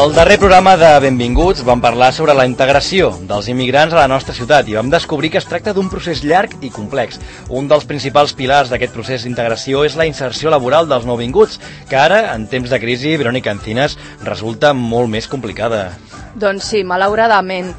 Al darrer programa de Benvinguts vam parlar sobre la integració dels immigrants a la nostra ciutat i vam descobrir que es tracta d'un procés llarg i complex. Un dels principals pilars d'aquest procés d'integració és la inserció laboral dels nouvinguts, que ara, en temps de crisi, Verònica Encinas, resulta molt més complicada. Doncs sí, malauradament.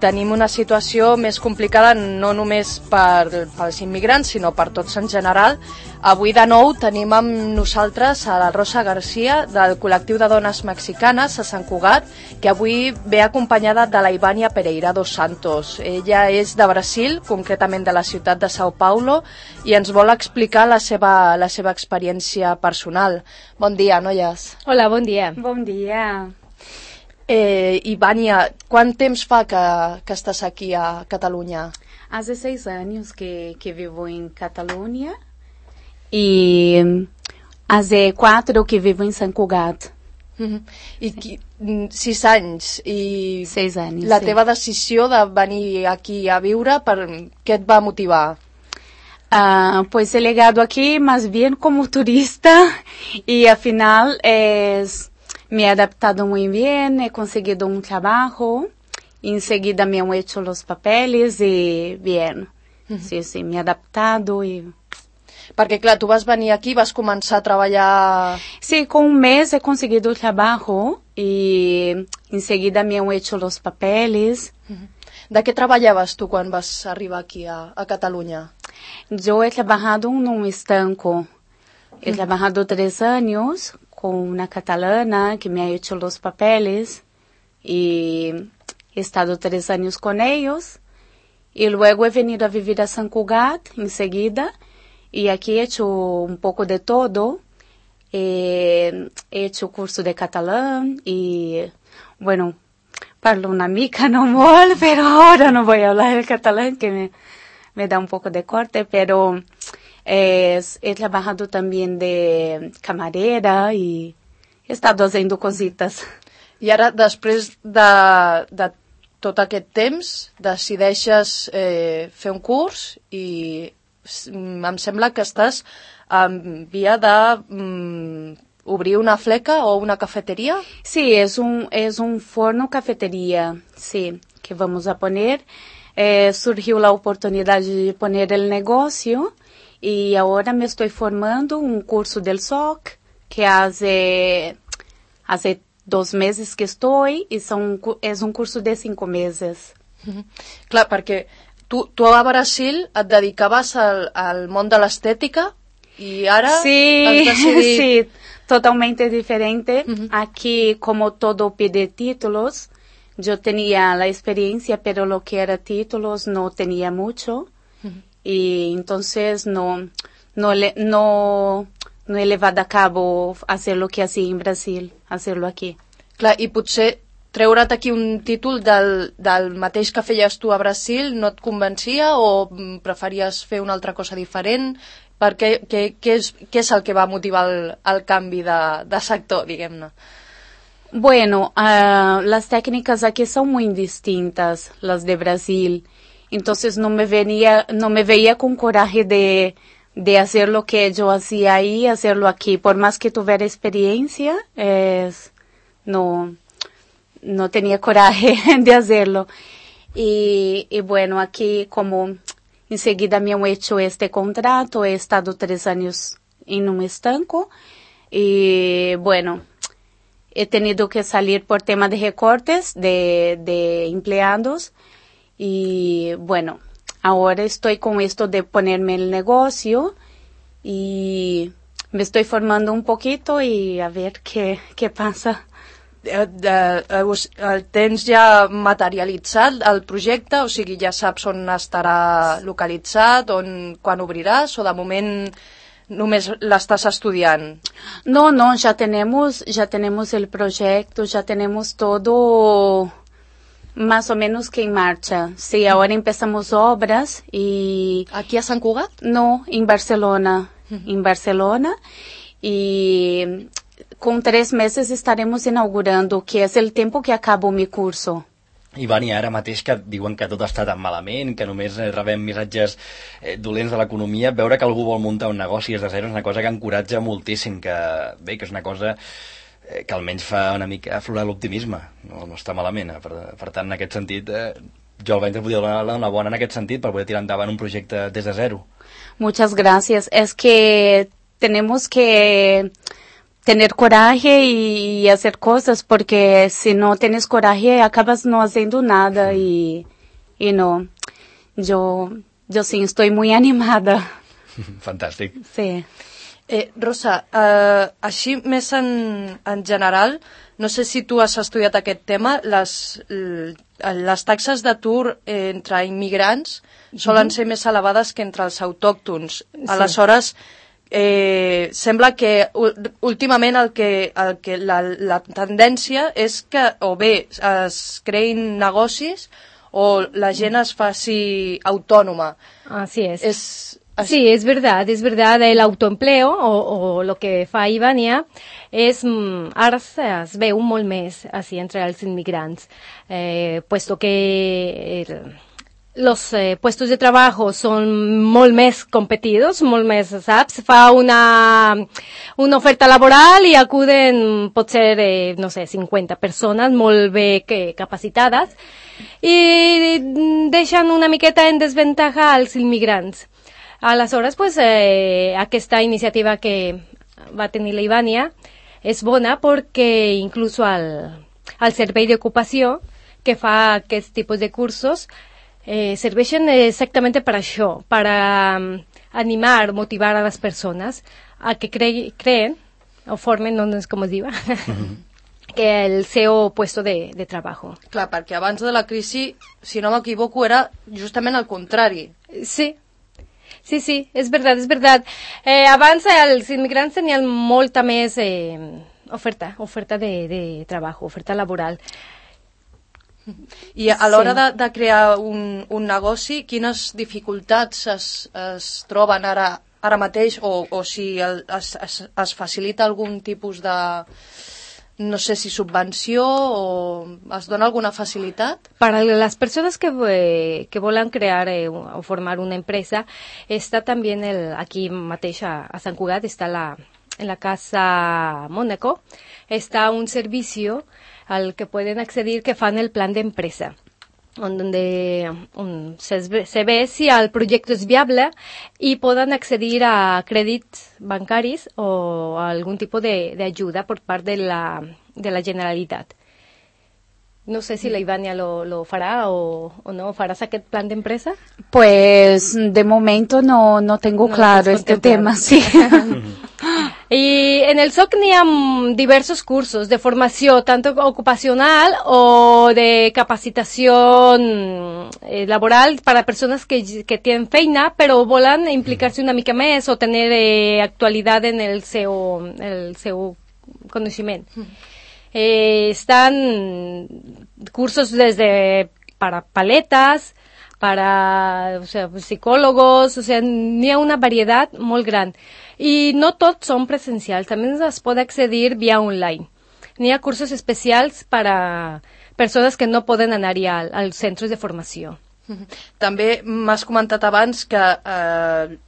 Tenim una situació més complicada no només pels immigrants, sinó per tots en general. Avui de nou tenim amb nosaltres a la Rosa García del col·lectiu de dones mexicanes a Sant Cugat, que avui ve acompanyada de la Ivania Pereira dos Santos. Ella és de Brasil, concretament de la ciutat de São Paulo, i ens vol explicar la seva experiència personal. Bon dia, noies. Hola, bon dia. Bon dia. Ivania, quant temps fa que estàs aquí a Catalunya? Hace 6 años que vivo en Cataluña y hace 4 que vivo en Sant Cugat. I 6 anys. I 6 anys, la sí. teva decisió de venir aquí a viure, què et va motivar? Pues he llegado aquí más bien como turista y al final me he adaptado muy bien, he conseguido un trabajo, enseguida me han hecho los papeles y bien. Sí, me he adaptado y... Perquè, clar, tu vas venir aquí, vas començar a treballar... Sí, con un mes he conseguido el trabajo y enseguida me han hecho los papeles. De què treballaves tu quan vas arribar aquí a Catalunya? Yo he trabajado en un estanco. He trabajado 3 años con una catalana que me ha hecho los papeles y he estado 3 años con ellos y luego he venido a vivir a Sant Cugat enseguida y aquí he hecho un poco de todo. He hecho curso de catalán y bueno, parlo una mica no molt, pero ahora no voy a hablar el catalán que me da un poco de corte, pero... he trabajado también de camarera y he estado haciendo cositas. I ara, després de tot aquest temps, decideixes fer un curs i em sembla que estàs en via de obrir una fleca o una cafetería. Sí, es un forno cafetería, sí, que vamos a poner. Surgió la oportunidad de poner el negocio. Y ahora me estoy formando un curso del SOC, que hace 2 meses que estoy, y es un curso de 5 meses. Clar, perquè tu a Brasil et dedicaves al món de l'estètica i ara has decidit... Sí, totalmente diferente. Aquí, como todo pide títulos, yo tenía la experiencia, pero lo que era títulos no tenía mucho. Y entonces no he llevado a cabo hacer lo que hacía en Brasil, hacerlo aquí. Clar, i potser treure't aquí un títol del mateix que feies tu a Brasil no et convencia o preferies fer una altra cosa diferent? Què és el que va motivar el canvi de sector, diguem-ne? Bueno, las técnicas aquí son muy distintas, las de Brasil. Entonces no me veía con coraje de hacer lo que yo hacía ahí, hacerlo aquí. Por más que tuviera experiencia, no tenía coraje de hacerlo. Y bueno, aquí como enseguida me han hecho este contrato, he estado 3 años en un estanco y bueno, he tenido que salir por tema de recortes de empleados. Y bueno, ahora estoy con esto de ponerme el negocio y me estoy formando un poquito y a ver qué pasa. El tens ja materialitzat, el projecte? O sigui, ja saps on estarà localitzat, quan obriràs, o de moment només l'estàs estudiant? No, ya tenemos el proyecto, ya tenemos todo... Más o menos que en marcha. Sí, ahora empezamos obras y... ¿Aquí a Sant Cugat? No, en Barcelona. En Barcelona. Y con 3 meses estaremos inaugurando, que es el tiempo que acabo mi curso. Ivania, ara mateix que diuen que tot està tan malament, que només rebem missatges dolents de l'economia, veure que algú vol muntar un negoci des de zero és una cosa que encoratja moltíssim, que bé, que és una cosa que almenys fa una mica aflorar l'optimisme, no està malament. Per tant, en aquest sentit, jo al Bankia podria donar una bona en aquest sentit per poder tirar endavant un projecte des de zero. Muchas gracias. Es que tenemos que tener coraje y hacer cosas, porque si no tienes coraje acabas no haciendo nada y no. Yo sí estoy muy animada. Fantàstic. Sí. Rosa, així més en general, no sé si tu has estudiat aquest tema, les taxes d'atur entre immigrants solen ser més elevades que entre els autòctons. Sí. Aleshores, sembla que últimament la tendència és que o bé es creïn negocis o la gent es faci autònoma. Así es. Sí, es verdad, el autoempleo o lo que fa Ivania ara es veu molt més así entre els immigrants, puesto que los puestos de trabajo son molt més competidos, molt més, saps? Fa una oferta laboral i acuden, pot ser, no sé, 50 persones molt bé capacitades i deixen una miqueta en desventaja als immigrants. Aleshores, pues, aquesta iniciativa que va tenir la Ivania és bona perquè inclús el servei d'ocupació que fa aquests tipus de cursos serveixen exactament per això, per animar, motivar a les persones a que creen o formen, no sé com es diu, que el seu puesto de treball. Clar, perquè abans de la crisi, si no m'equivoco, era justament el contrari. Sí, és veritat. Abans els immigrants tenien molta més oferta de treball, oferta laboral. I a l'hora de crear un negoci, quines dificultats es troben ara mateix o si es facilita algun tipus de, no sé si subvenció o es dona alguna facilitat? Para las personas que volen crear o formar una empresa, está también aquí mateix a Sant Cugat, está en la Casa Mónaco, está un servicio al que pueden acceder que fan el plan de empresa, donde se ve si el proyecto es viable y puedan acceder a crèdits bancaris o a algún tipo de ayuda por parte de la Generalitat. No sé si la Ivania lo fará o no. ¿Farás aquest plan de empresa? Pues de momento no tengo claro este tema, sí. Y en el SOC n'hi ha diversos cursos de formació, tanto ocupacional o de capacitación laboral para personas que tienen feina, però volen implicar-se una mica més o tenir actualitat en el seu coneixement. Están cursos desde para paletas, para psicólogos, n'hi ha una varietat molt gran. I no tots són presencials, també es pot accedir via online. N'hi ha cursos especials per a persones que no poden anar-hi als centres de formació. També m'has comentat abans que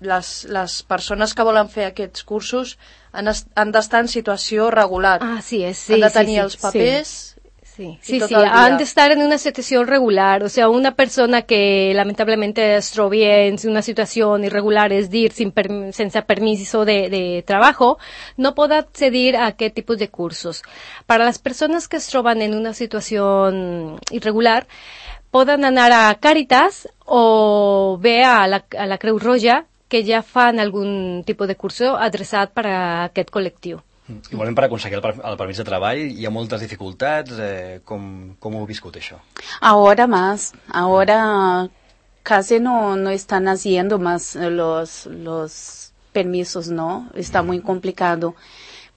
les persones que volen fer aquests cursos han d'estar en situació regular. Sí, han de tenir els papers. Sí, han de estar en una situación regular, o sea, una persona que lamentablemente es trobi en una situación irregular, es decir, sense permiso de trabajo, no puede acceder a qué tipos de cursos. Para las personas que es troben en una situación irregular, poden anar a Càritas o bé a la Creu Roja, que ja fan algun tipus de curso adreçat per a aquest col·lectiu. Igualment, per aconseguir el permís de treball hi ha moltes dificultats. Com ho heu viscut, això? Ahora casi no están haciendo más los permisos, ¿no? Está muy complicado.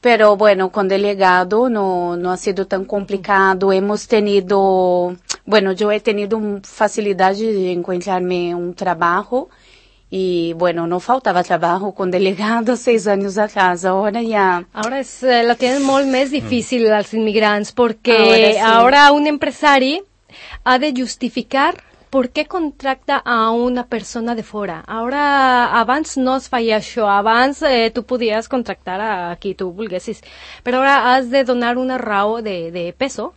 Pero bueno, con delegado no ha sido tan complicado. Yo he tenido facilidad de encontrarme un trabajo. Y bueno, no faltaba trabajo con delegado 6 años atrás, ahora ya... Ahora la tienen molt més difícil als immigrants, perquè ahora un empresari ha de justificar ¿por qué contracta a una persona de fora? Ahora, abans no es feia això, abans tu podies contractar a qui tu volguessis, però ara has de donar una raó de peso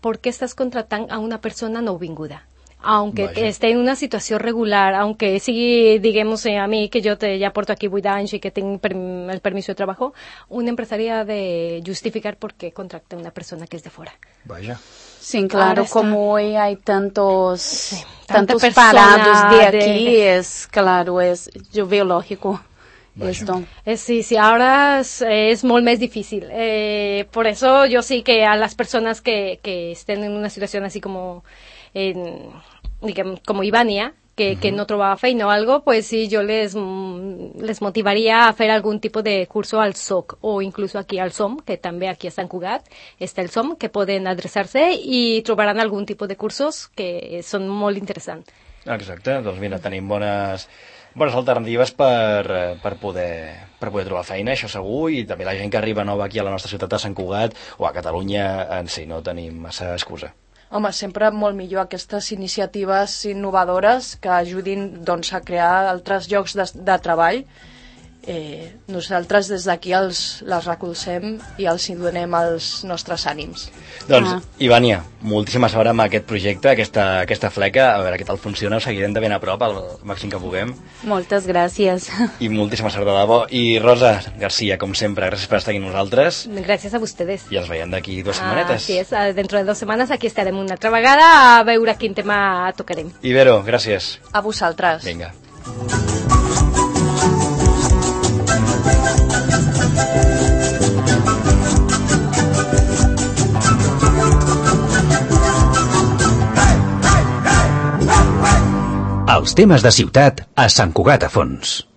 perquè estàs contractant a una persona nouvinguda. Aunque esté en una situació regular, aunque sigui, digamos, a mí, que yo ya porto aquí 8 anys y que tengo el permiso de trabajo, un empresario ha de justificar por qué contracta a una persona que es de fuera. Vaya. Sí, claro, como hoy hay tantos parados de aquí, claro, yo veo lógico. Esto. Sí, ahora es molt més difícil. Por eso yo sí que a las personas que estén en una situación así como como Ivania, que no trobava feina o algo, pues sí, yo les motivaría a hacer algún tipo de curso al SOC o incluso aquí al SOM, que també aquí a Sant Cugat està el SOM, que poden adreçar-se i trobaran algun tipus de cursos que són molt interessants. Exacte, doncs mira, tenim bones alternatives per poder trobar feina, això segur, i també la gent que arriba nova aquí a la nostra ciutat de Sant Cugat o a Catalunya en si, no tenim massa excusa. Home, sempre molt millor aquestes iniciatives innovadores que ajudin doncs, a crear altres llocs de treball. Nosaltres des d'aquí les recolzem i els hi donem els nostres ànims. Doncs, Ivania, moltíssima sort amb aquest projecte, aquesta fleca, a veure què tal funciona, ho seguirem de ben a prop al màxim que puguem. Moltes gràcies. I moltíssima sort de debò. I Rosa García, com sempre, gràcies per estar aquí amb nosaltres. Gràcies a ustedes. I ens veiem d'aquí 2 setmanetes. Así es, dentro de 2 semanas aquí estarem una altra vegada a veure quin tema tocarem. Ibero, gràcies. A vosaltres. Vinga. Els temes de ciutat a Sant Cugat a fons.